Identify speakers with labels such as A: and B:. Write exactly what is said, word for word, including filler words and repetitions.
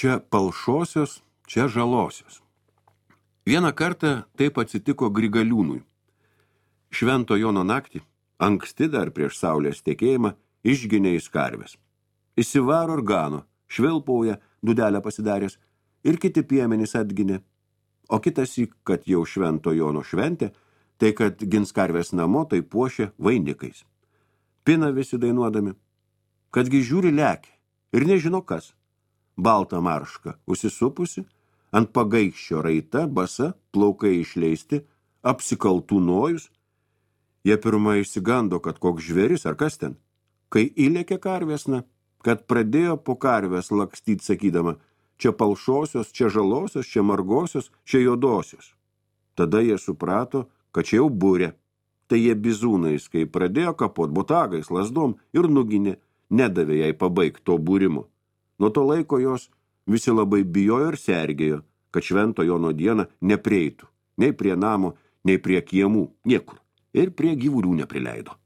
A: Čia palšosios, čia žalosios. Vieną kartą taip atsitiko Grigaliūnui. Švento Jono naktį, anksti dar prieš saulės tekėjimą, išginė jis karves. Įsivaro ir gano, švilpauja, dudelę pasidaręs, ir kiti piemenys atginė. O kitas įk, kad jau Švento Jono šventė, tai kad gins karves namo, tai puošia vainikais. Pina visi dainuodami, kadgi žiūri lekia ir nežino kas. Balta marška, užsisupusi, ant pagaikščio raita, basa, plaukai išleisti, apsikaltų nojus. Jie pirmą išsigando, kad koks žvėris ar kas ten. Kai įlėkė karvesna, kad pradėjo po karves lakstyt sakydama, čia palšosios, čia žalosios, čia margosios, čia juodosios. Tada jie suprato, kad čia jau būrė. Tai jie bizūnais, kai pradėjo kapot botagais, lasdom ir nuginė, nedavė jai pabaigti to būrimo. Nuo to laiko jos visi labai bijojo ir sergėjo, kad Švento Jono dieną neprieitų, nei prie namo, nei prie kiemų, niekur, ir prie gyvulių neprileido.